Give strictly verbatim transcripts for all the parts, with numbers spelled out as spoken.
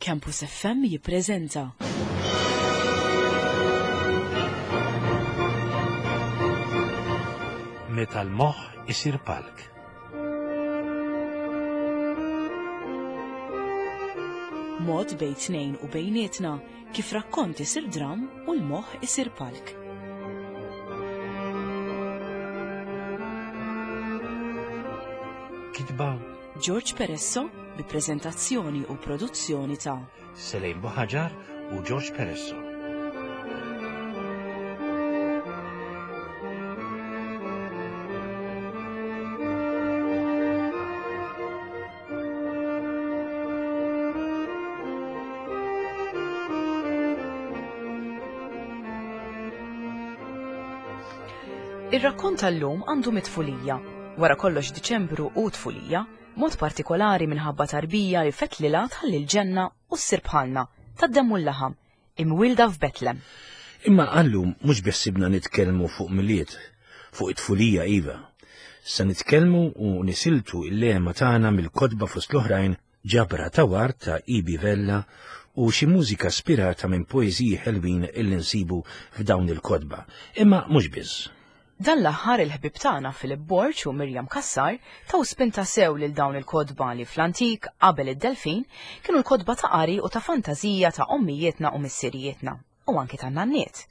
Campus F M jippreżenta Meta l-moħħ isir palk. Mod bejn tnejn u bejnietna kif rakkont isir dram u l-moħħ isir palk. Kitba George Peresso bi prezentazzjoni u produzzjoni ta' Selejn Buħaġar u George Peresso. Ir-rakkont tal-lum għandu mitfulija. Wara kollox Diċembru u tfulija, mod partikolari minħabba tarbija li fetlila tħalli l-ġenna u ssir bħalna, tad-demm u l-laħam, imwilda f'Betlem. Imma għallum mhux biħsibna nitkellmu fuq Milied, fuq it-tfulija iva. Se nitkellmu u nisiltu il-lema tagħna mill-kotba fost l-oħrajn ġabra ta' ward ta' Ibi Vella u xi mużika spirata minn poeżiji ħelwin illi nsibu f'dawn il-kotba. Imma mhux biss. Dan l-aħħar il-ħbib tagħna Philip Borg u Mirjam Cassar taw spinta sew lil dawn il-kotba li fl-antik qabel id-Delfin kienu l-kotba ta' qari u ta' fantażija ta' ommijietna u missirijietna u anki ta' nanniet.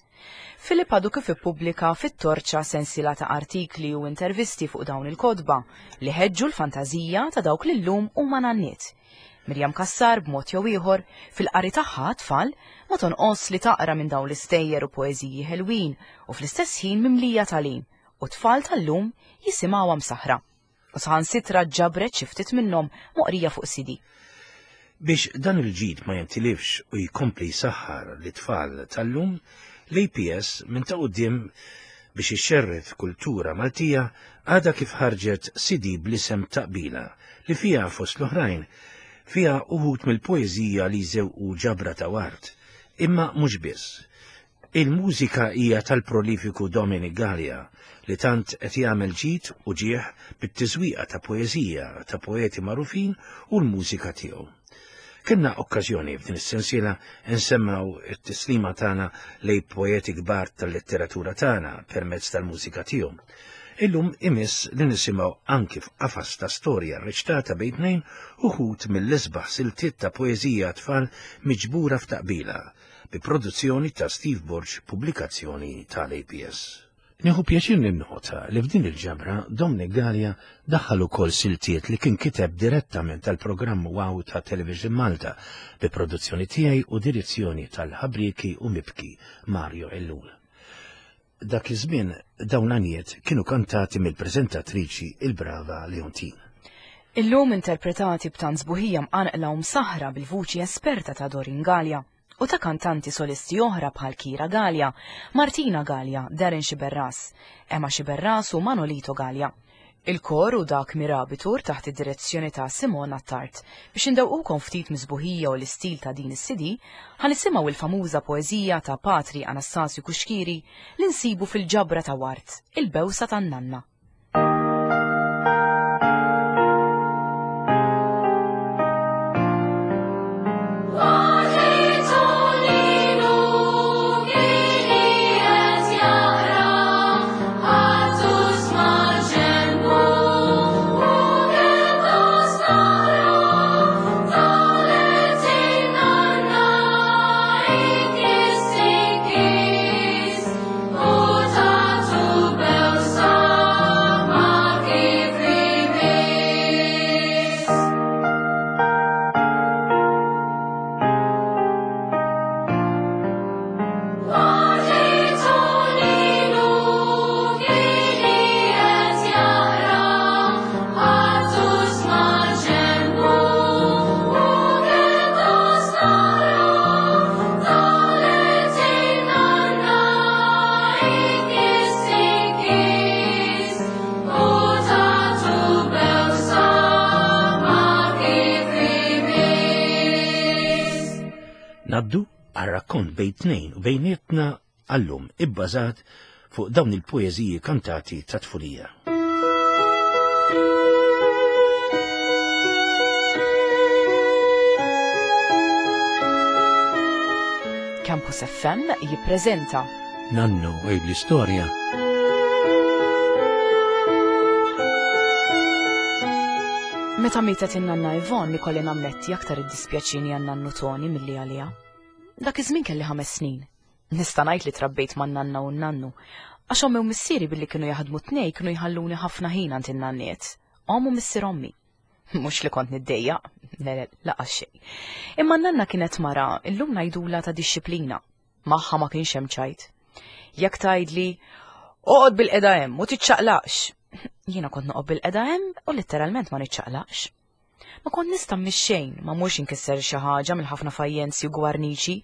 Philip għadu kif ippubblika fit-Torċa sensiela ta' artikli u intervisti fuq dawn il-kotba li ħeġġu l-fantażija ta' dawk li llum huma nanniet. Mirjam Cassar b'mod jew ieħor fil-qari tagħha tfal ma tonqos li taqra minn dawn l-istejjer u poeżiji ħelwin u fl-istess ħin mimlija tagħlim u tfal tal-lum jisimgħuha msaħra. U saħansitra ġabret xi ftit minnhom moqrija fuq C D. Biex dan il-ġid ma jintilifx u jkompli jsaħħar l-tfal tal-lum, l-A P S minn ta' quddiem biex ixxerred kultura Maltija għadha kif ħarġet C D bl-isem Taqbila li fiha fost l-oħrajn fiha uħud mill-poeżija li jżewqu ġabra ta' ward, imma mhux biss. Il-mużika hija tal-prolifiku Dominic Galea li tant qed jagħmel ġid u ġieħ bit-tiżwieqa ta' poeżija ta' poeti magħrufin u l-mużika tiegħu. Kellna okkażjoni f'din is-sensiela nsemmaw it-tislima tagħna lejn poeti kbar tal-letteratura tagħna permezz tal-mużika tiegħu. Illum imiss li nisimgħu anki f'qafas ta' storja rreċtata bejn tnejn uħud mill-isbaħ siltiet ta' poeżija tfal miġbura f'taqbila bi produzzjoni ta' Steve Borg, pubblikazzjoni tal-A P S. Nieħu pjaċir ninnota li f'din il-ġabra Dominic Galea daħħal ukoll siltiet li kien kiteb direttament tal-programm Wow ta' Television Malta bi produzzjoni tiegħi u direzzjoni tal-ħabrieki u mibki Mario Ellul. Dak iż-żmien dawn l-għanijiet kienu kantati mill-preżentatriċi il-brava Leontine. Illum interpretati b'tant sbuħija mqanqla u msaħra bil-vuċi esperta ta' Doreen Galea u ta' kantanti solisti oħra bħal Kira Galea, Martina Galea, Darren Sciberras, Emma Sciberras u Manolito Galea. Il-kor u dak Mirabitur taħt id-direzzjoni ta' Simona Attard. Biex indewqukom ftit miżbuħija u l-istil ta' din is-C D, ħanisimgħu il-famuża poeżija ta' Patri Anastasju Cuschieri li nsibu fil-ġabra ta' Ward, il-bewsa tan-nanna. Naddu għar-rakkont bejn tnejn u bejnietna għallum ibbażat fuq dawn il-poeżiji kantati ta' tfulija. Campus F M jippreżenta Nannu għidli storja. Meta mietet in-nanna Yvonne ikolli nammetti aktar iddispjaċini għan-nannu Toni milli għaliha. Dak iż-żmien kelli ħames snin. Nista' ngħid li trabbejt man-nanna u n-nannu. Għax ommi u missieri billi kienu jaħdmu tnej kienu jħalluni ħafna ħin għand in-nanniet. Omm u missier ommi. Mhux li kont niddejjaq, le, le, laqas xejn. Imma n-nanna kienet mara, illum ngħidula ta' dixxiplina. Magħha ma kienx hemm ċajt. Jekk tgħidli, oqgħod bil-qeda hemm u tiċċaqlaqx. Jiena kont noqgħod bil-qeda hemm u letteralment ma niċċaqlaqx. Ma kont nista' mixxejn, ma mhux inkisser xi ħaġa mill-ħafna fajjenzi u gwarniċi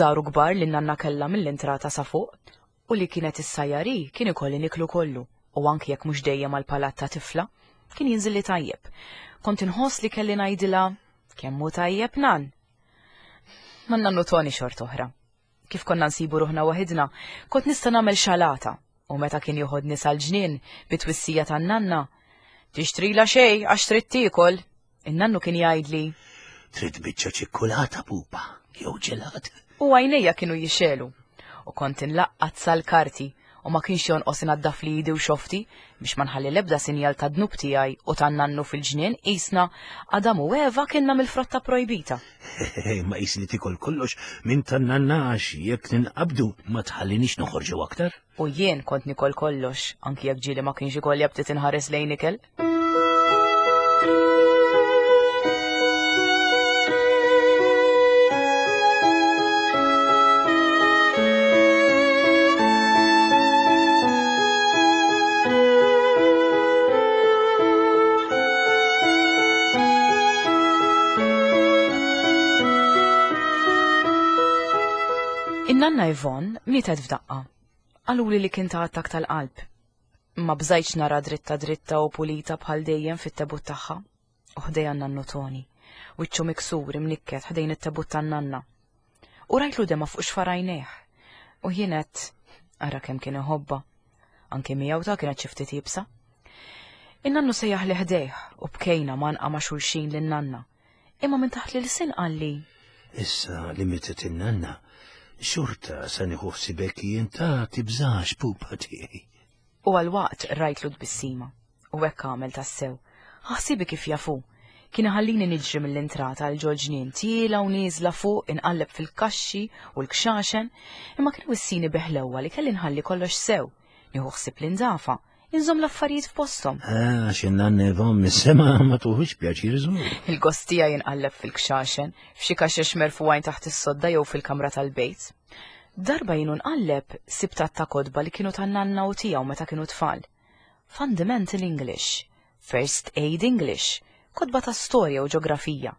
żaru kbar li n-nanna kellha mill-intrata sa fuq. U li kienet issajjari kien ikolli niklu kollu, u anki jekk mhux dejjem għall-palat ta' tifla, kien jinżilli tajjeb. Kont inħoss li kelli ngħidilha kemm hu tajjeb nan. Ma nannu Toni xort oħra. Kif konna nsibu ruħna waħidna, kont nista' nagħmel xalata, u meta kien joħodni sal-ġnien bit-twissija tan-nanna, tixtrila xejn għax trid tiekol. In-nannu kien jgħidli, Trid biċċa ċikkulata pupa jew ġelat. U għajnejja kienu jixelu, u kont inlaqqat sal-karti u ma kienx jonqos inaddaf li idi u xofti biex ma nħalli l-ebda sinjal ta' dnub tiegħi u tan-nannu fil-ġnien qisna Adam u Eva kienna mill-frotta projbita. Ma qisni tikol kollox minn tan-nanna għax jekk ninqabdu ma tħallinix noħorġu aktar. U jien kont nikol kollox, anki jekk ġieli ma kienx ikolli aptit inħares lejn ikel. In-nanna Yvonne mietet f'daqqa. Qaluli li kien ta' attakk tal-qalb. Ma bżajtx nara dritta dritta u pulita bħal dejjem fit-tebut tagħha. U ħdejja nannu Toni, wiċċu miksur imnikket ħdejn it-tebut tan-nanna. U rajtlu dema fuq xfarajnejh. U jien għedt, ara kemm kien iħobbha. Anke miegħu ta' kienet xi ftit iebsa. In-nannu sejjaħ li ħdejh u bkejna manqa ma' xulxin lin-nanna. Imma minn taħt l-ilsien qalli, Issa li mietet in-nanna, xorta se nieħu ħsibek jien ta' tibżax pupa tiegħi. U għal-waqt rajtlu tbissima, u hekk għamel tassew. Ħsibi kif jafu. Kien iħallini niġri mill-intrata għal ġol-ġnien tiela u nieżla fuq inqalleb fil-kaxxi u l-kxaxen, imma kien wissini beħlewwa li kelli nħalli kollox sew, nieħu ħsieb l-indafa, inżomm l-affarijiet f'posthom. Ah, għax in-nanna Yvonne mis-sema ma tuħux pjaċir żgur. Il-gostija jinqalleb fil-kxaxen, f'xi kaxex merfugħin taħt is-sodda jew fil-kamra tal-bejt. Darba jienu nqalleb sibtat ta' kotba li kienu tan-nanna u tiegħu meta kienu tfal. Fundamental English, First Aid English, kotba ta' storja u ġeografija,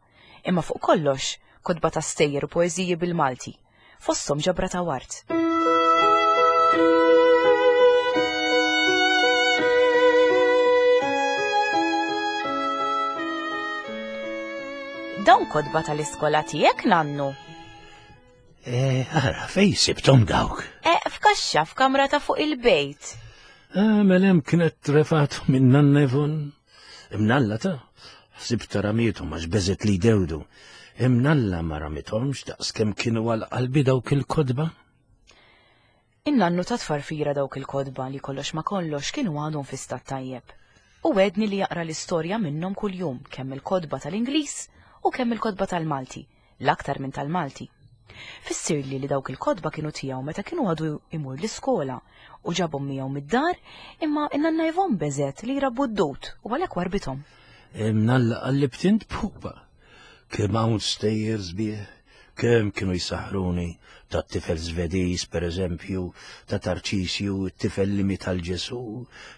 imma fuq kollox kotba ta' stejjer u poeżiji bil-Malti, fosthom ġabra ta' wart. Dawn kotba tal-iskola tiegħek, nannu? Eh, ara, fej sibtom dawk? Eh, f'kaxxa f'kamra ta' fuq il-bejt. Eh, mela hemm kienet trefat minn nanna Yvonne. Imnalla ta' ħsibt ramietom għax beżet li jdewdu. Imnalla ma ramithomx daqs kemm kienu għal qalbi dawk il-kotba. In-nannu ta' tfarfira dawk il-kotba li kollox ma kollox kienu għadhom fi stat tajjeb. U għedni li jaqra l-istorja minnhom kuljum, kemm il-kotba tal-Ingliż u kemm il-kotba tal-Malti, l-aktar minn tal-Malti. Fissirli li dawk il-kotba kienu tiegħu meta kienu għadu imur l-iskola u ġabhom miegħu mid-dar, imma in-nanna Yvonne beżet li jrabbu d-dut u għalhekk warbithom. Imnalla qallibt int pupa. Kemm hawn stejjer sbieħ, kemm kienu jsaħruni ta' tifel Svediż, per eżempju, ta' Tarċisju, t-tifel li miet għal Ġesu,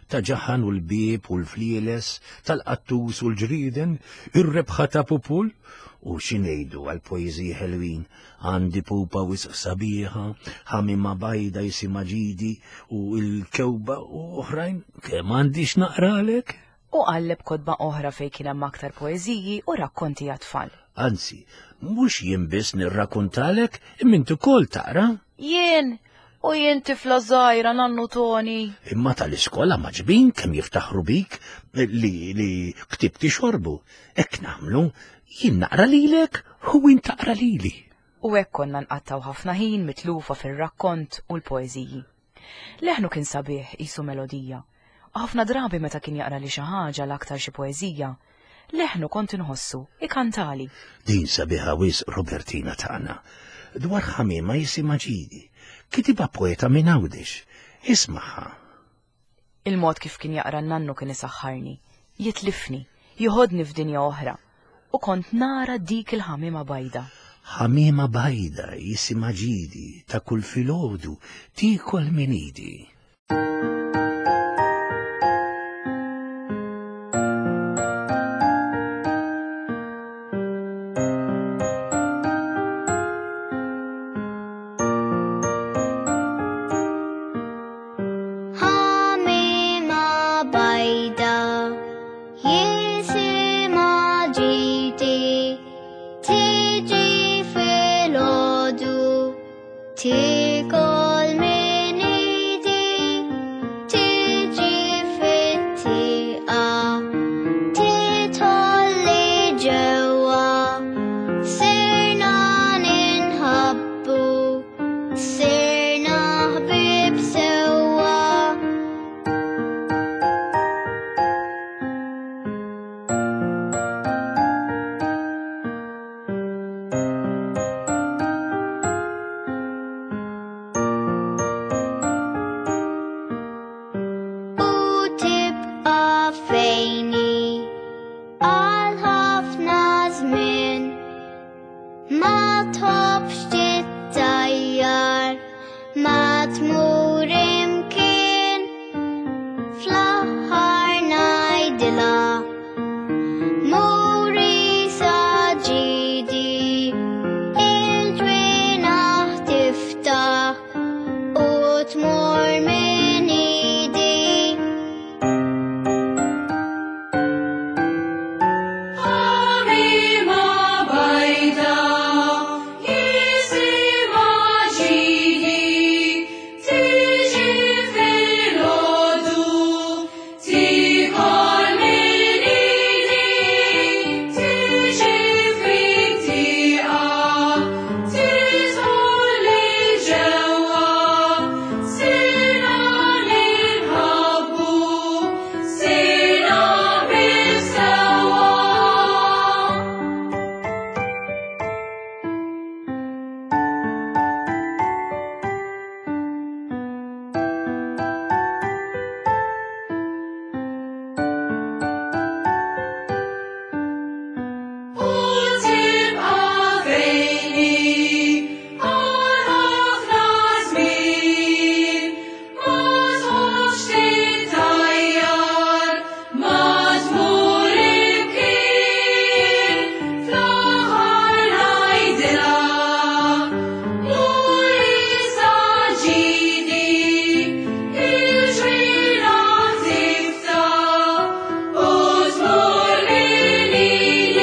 ta' Ġaħan u l-bieb u l-flieles, tal-qattus u l-ġrieden, ir-rebħa ta' Pupul, u x'ingħidu għal poeżiji ħelwin, għandi pupa wisq sabiħa, ħamima bajda jisimha ġidi u l-kewba u oħrajn, kemm għandi x'naqralek? U qalleb kotba oħra fejn kien hemm aktar poeżiji u rakkonti għat-tfal. Anzi, mhux jien biss nirrakkontalek, imma int ukoll taqra. Jien, u jien tifla żgħira nannu Toni. Imma tal-iskola maġbin kemm jiftaħru bik li, li ktibti xorbu. Hekk nagħmlu, jien naqra lilek u int taqra lili. U hekk konna nqattgħu ħafna ħin mitlufa fir-rakkont u l-poeżiji. Leħnu kien sabiħ qisu melodija. U ħafna drabi meta kien jaqra li xi ħaġa l-aktar xi poeżija, leħnu kont inħossu ikantali. Din sabiħa wisq Robertina tagħna. Dwar ħamiema jisimha Ġidi. Kitibha poeta minn Għawdex. Ismaħha. Il-mod kif kien jaqra n-nannu kien isaħħarni, jitlifni, joħodni f'dinja oħra. U kont nara dik il-ħamiema bajda. Ħamiema bajda jisimha Ġidi ta' kull filgħodu tiekol minn idi. Ħamiema bajda jisimha Ġidi tiġi filgħodu tiekol minn idi tiġi fit-tieqa tidħol li ġewwa sirna ninħabbu sirna ħbieb sewwa. U tibqa' fejni għal ħafna żmien ma tħobbx tittajjar ma tmur imkien fl-aħħar ngħidilha muri sa Ġidi il-ġwienaħ tiftaħ u tmur minn idi. Ħamiema bajda jisimha Ġidi tiġi filgħodu tiekol minn idi tiġi fit-tieqa tidħol li ġewwa sirna ninħabbu sirna ħbieb sewwa. U tibqa' fejni għal ħafna żmien ma tħobbx tittajjar ma tmur imkien fl-aħħar ngħidilha muri sa Ġidi il-ġwienaħ tiftaħ u tmur minn idi.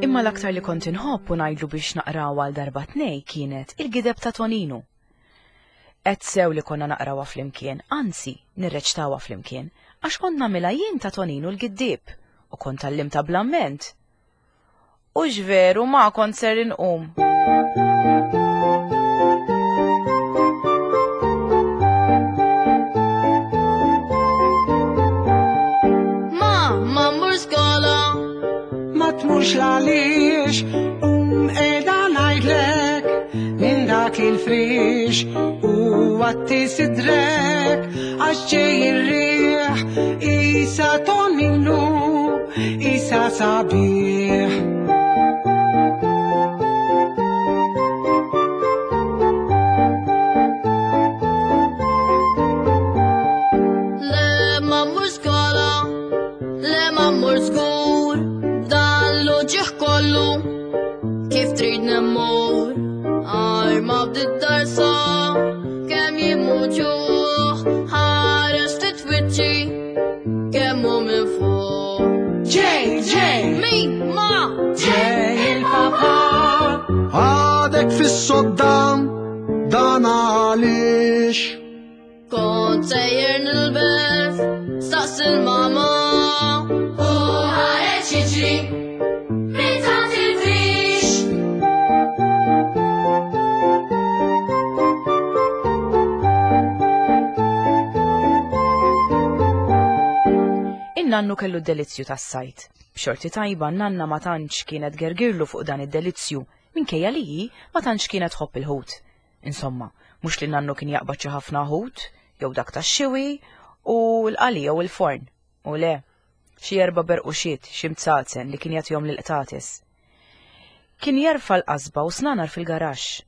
Imma l-aktar li kont inħobb u ngħidlu biex naqraw għal darba tnej kienet il-gideb ta' Toninu. Qed sew li konna naqrawha flimkien, anzi nirreċtawha flimkien, għax kont nagħmilha jien ta' Toninu l-giddieb u kont tgħallimtha bl-amment. U x'veru ma kont ser inqum. Ma, ma mmur skola. Ma tmurx għaliex, um qiegħda ngħidlek minn dak il-frix u għatti sidrek għax ġej ir-riħ isa Toninu isa sabiħ. Le ma mmur skola, le ma mmur żgur, dan l-uġigħ kollu, kif trid nemmur, arma bdiet darsa, kemm jimut ġuħ, ħares titwiċċi, kemm hu minn fuq. Ġej, ġej, Min ma ġej il-papa. Għadek fis-sodda dan għaliex. Kont sejjer nilbes, staqs il-mama. U ħareġ jiġri minn taħt il-frix. In-nannu kellu d-delizzju tas-sajt. B'xorti tajba n-nanna ma tantx kienet gergirlu fuq dan id-delizzju, minkejja li hi ma tantx kienet tħobb il-ħut. Insomma, mhux li nannu kien jaqbad xi ħafna ħut, jew dak tax-xiwi u l-qali jew il-forn. U le, xi erba' berquxiet, xi mtsazen li kien jagħtihom lill-qtates. Kien jerfa' l-qasba u snanar fil-garaxx.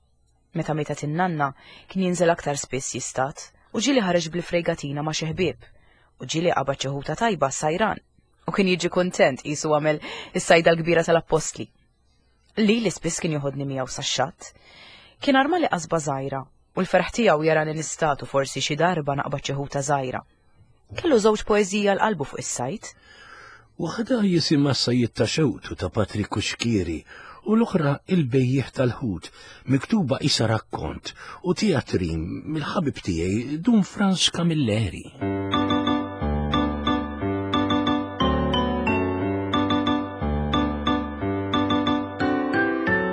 Meta mietet in-nanna kien jinżel aktar spiss jistat u ġieli ħareġ bil-frejgatina ma' xi ħbieb u ġieli qabad xi ħuta tajba sajran u kien jiġi kuntent qisu għamel is-sajda l-kbira tal-appostli. Li li spiss kien joħodni miegħu sax-xatt. Kien armali qasba żgħira u l-ferħ tiegħu jarani nistatu forsi xi darba naqbad xi ħuta żgħira. Kellu żewġ poeżija l qalbu fuq is-sajt. Waħda jisimha Sajjied ta' Xewtu ta' Patrick Cuschieri u l-oħra Il-Bejjiegħ tal-Ħut, miktuba isa rakkont u teatrin mill-ħabib tiegħi Dun Frans Camilleri.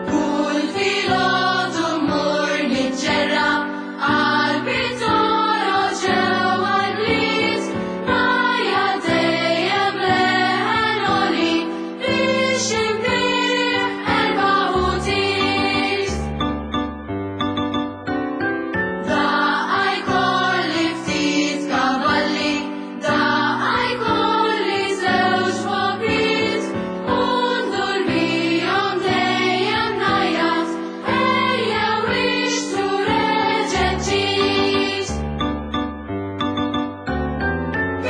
Kull filgħodu mmur niġġerra qalbi toroq ġewwa l-bliet, rajja dejjem leħen għoli biex inbigħ erba' ħutiet. Daqqa jkolli ftit kavalli, daqqa jkolli żewġ bokriet, u ndur bihom dejjem ngħajjat, ejjew ixtru reġgħet ġiet.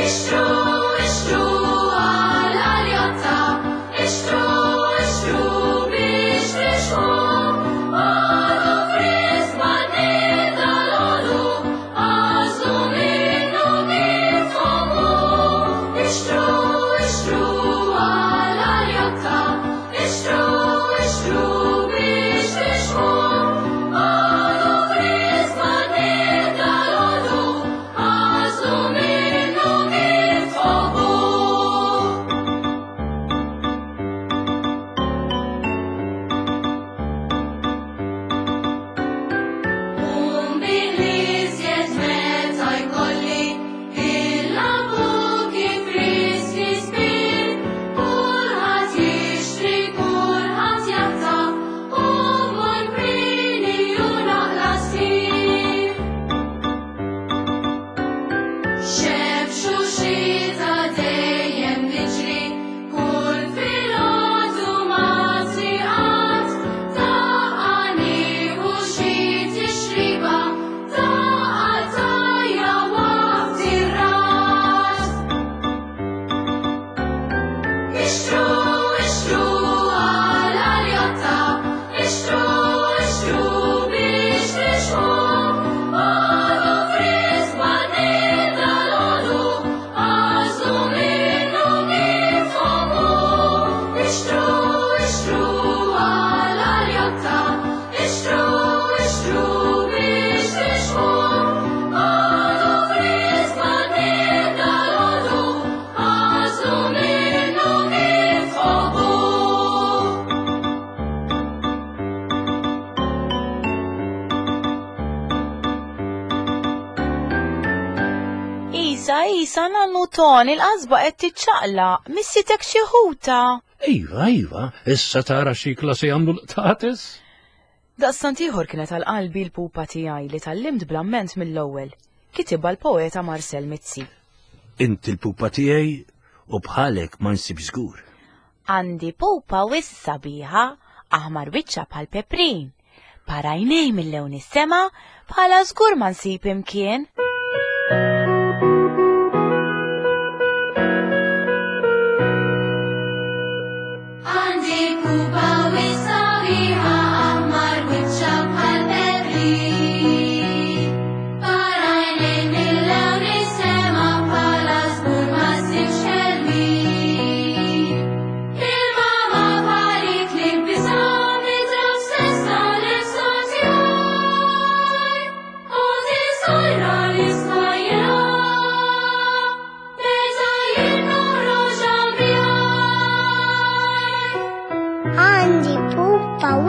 Ixtru, ixtru għal aljotta, ixtru, ixtru biex tixħu, għadu frisk ma' dal-għodu, għażlu minnu kif tħobbu. Ixtru, ixtru għal aljotta, ixtru, ixtru biex tixħu, għadu frisk ma' dal-għodu, għażlu minnu kif tħobbu. Um bil-iżjed meta jkolli il-lampuki friski spir, kulħadd jixtri, kulħadd jaħtaf, u mmur kmieni u naqla' ssir. Xebx u xita dejjem niġri, kull filgħodu ma' triqat, daqqa nieħu xi tixriba, daqqa tajja waqt ir-ras. Ixtru, ixtru għal aljotta, ixtru, ixtru biex tixħu, għadu frisk ma' dal-għodu, għażlu minnu kif tħobbu. Ixtru, ixtru għal aljotta, ixtru, ixtru biex tixħu, għadu frisk ma' dal-għodu, għażlu minnu kif tħobbu. Isa, isa, nannu Ton, il-qasba qed tiċċaqlaq, missitek xi ħuta. Iva, iva, issa tara xi klasi għamlu l-qtates? Daqstant ieħor kienet għal qalbi l-pupa tiegħi li tallimt bl-amment mill-ewwel. Kitibha l-poeta Marcel Mizzi. Inti l-pupa tiegħi u bħalek ma nsib żgur. Għandi pupa wis sabiħa, aħmar wiċċa bħal peprin. Parajnej mill-lewn is-sema bħala żgur ma nsib imkien. Għandi pupa wis sabiħa, aħmar wiċċa bħal peprin. Parajnej mill-lewn is-sema bħala żgur ma ssibx ħelwin. Il-mama bħalik li biżgħu nidrab stessa nifsu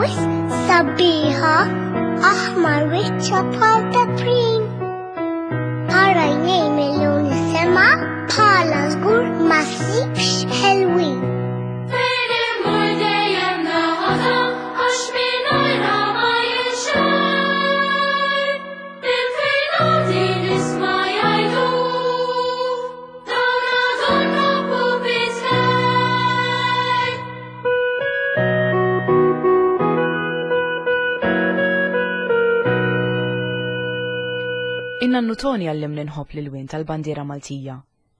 wisq sabiħa, aħmar wiċċha bħal peprin. Ara għajnejn mill-lun is-sema, bħala żgur ma ssibx ħelwin. Fejn immur dejjem naħodha għax mingħajrha ma jinxar. Minn fejn għandi nisma' jgħidu dawn għadhom pupi żgħar. In-nannu Toni għallimni nħobb l-ilwien tal-bandiera Maltija.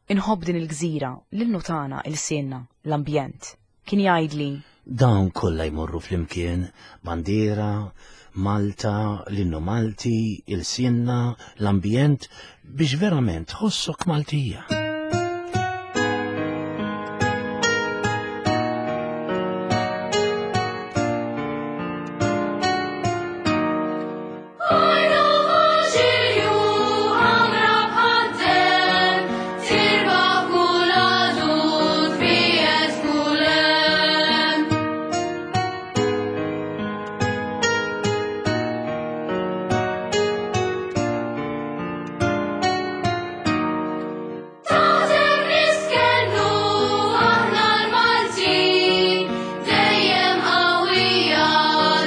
Inħobb din il-gżira, l-innu tagħna, il-sienna, l-ambjent. Kien jgħidli Dawn kollha jmorru flimkien, bandiera, Malta, l-innu Malti, il-sienna, l-ambjent, biex verament tħossok Maltija. Ornu ġirju ħamra bħad-demm, tirbaħ kull għadu tbiegħed kull hemm. Taħdem niskennu aħna l-Maltin, dejjem qawwija,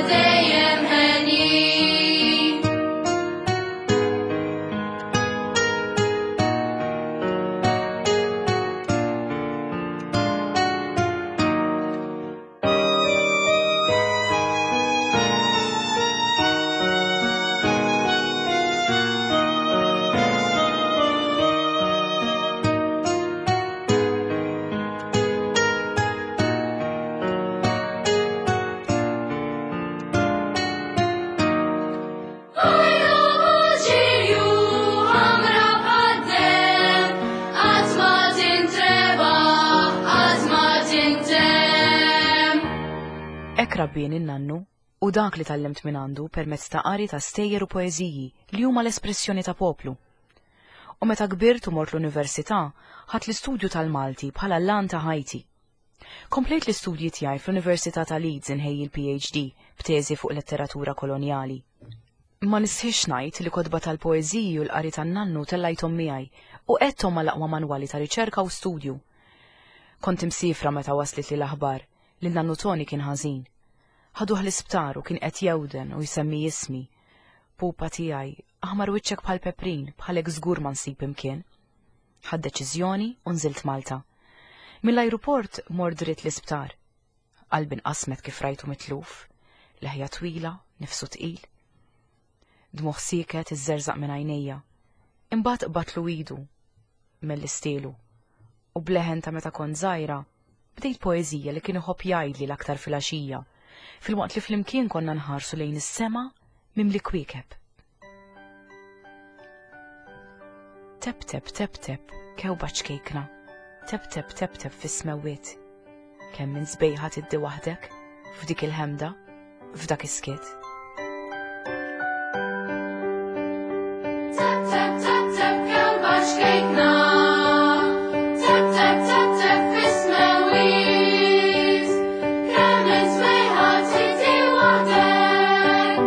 dejjem henjin. Ornu ġirju ħamra bħad-demm, qatt ma tintrebaħ, qatt ma tintemm. Hekk rabbieni n-nannu u dak li tgħallimt minn għandu permezz ta' qari ta' stejjer u poeżiji li huma l-espressjoni ta' poplu. U meta kbirt u mort l-università, ħadt l-istudju tal-Malti bħala l-lan ta' ħajti. Komplejt l-istudji tiegħi fl-Università ta' Leeds inħejji l-P H D b'teżi fuq letteratura kolonjali. Ma nistħix ngħid li kotba tal-poeżiji u l-qari tan-nannu tellajthom miegħi u qegħdthom mal-aqwa manwali ta' riċerka u studju. Kont imsifra meta waslet li l-aħbar li n-nannu Toni kien ħażin. Ħaduh l-isptar u kien qed jewden u jsemmi ismi. Pupa tiegħi, aħmar wiċċek bħal peprin, bħalek żgur ma nsib imkien. Ħadt deċiżjoni u nżilt Malta. Mill-ajruport mort dritt l-isptar. Qalbi nqasmet kif rajtu mitluf, leħja twila, nifsu tqil. Dmugħ sieket iżżerżaq minn għajnejja. Imbagħad qbatlu idu mill-istielu u bleħen ta' meta kont żgħira bdejt poeżija li kien iħobb jgħidli l-aktar filgħaxija, filwaqt li flimkien konna nħarsu lejn is-sema mimli kwiekeb. Tep tep tep tep, kewba ċkejkna, tep tep tep tep fis-smewwiet. Kemm minn sbejħa tiddi waħdek, f'dik il-ħemda, f'dak is-skiet. Tep tep tep tep kewba ċkejkna, tep tep tep tep fis-smewwiet. Kemm minn sbejħa tiddi waħdek,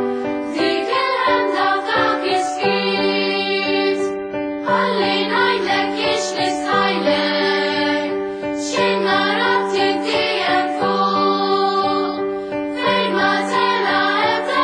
f'dik il-ħemda f'dak is-skiet. Ħalli ngħidlek jiex nistħajlek, x'in narak tiddi hemm fuq, fejn ma tela' ebda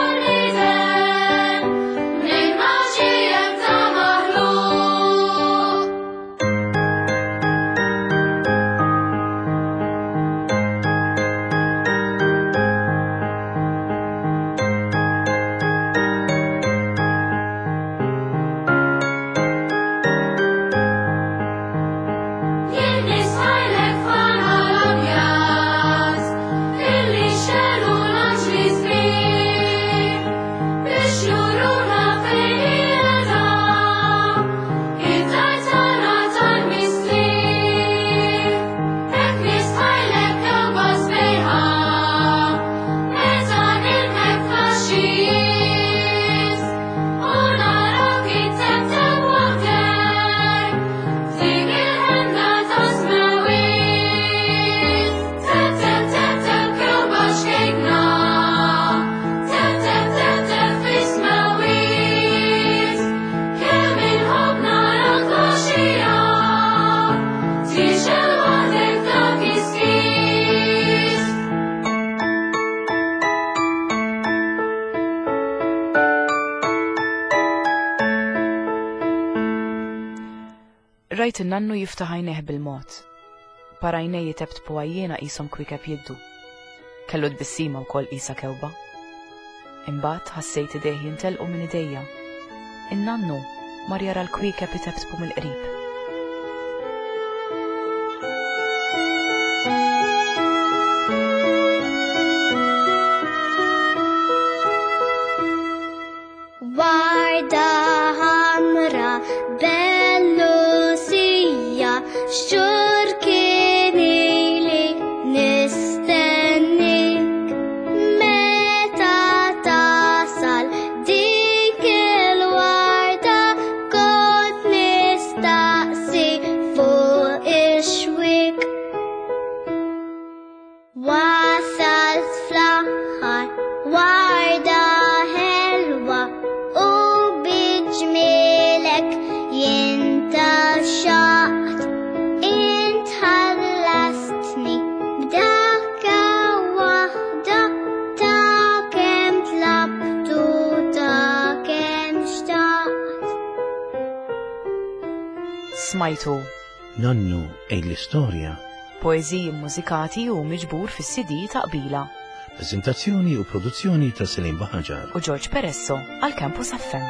Rajt in-nannu jiftaħ għajnejh bil-mod. Par għajnejh jiteptpu għajjiena qishom kwiekeb jiddu. Kellu tbissima wkoll qisha kewba. Imbagħad ħassejt idejh jintelqu minn idejja. In-nannu mar jara l-kwiekeb iteptpu mill-qrib. Warda ħamra bellusija, xhur kien ili nistennik. Meta tasal dik il-warda kont nistaqsi fuq ix-xwiek. Wasalt fl-aħħar warda ħelwa u biġmielek jien taxxaqt. Int ħallastni b'daqqa waħda ta' kemm tlabt u ta' kemm xtaqt. Smajtu Nonnu għid l-istorja. Poeżiji mużikati u miġbur fis-C D ta' Qbila. Prezentazzjoni u produzzjoni ta' Selim Baħaġar. U George Peresso għal Campus F M.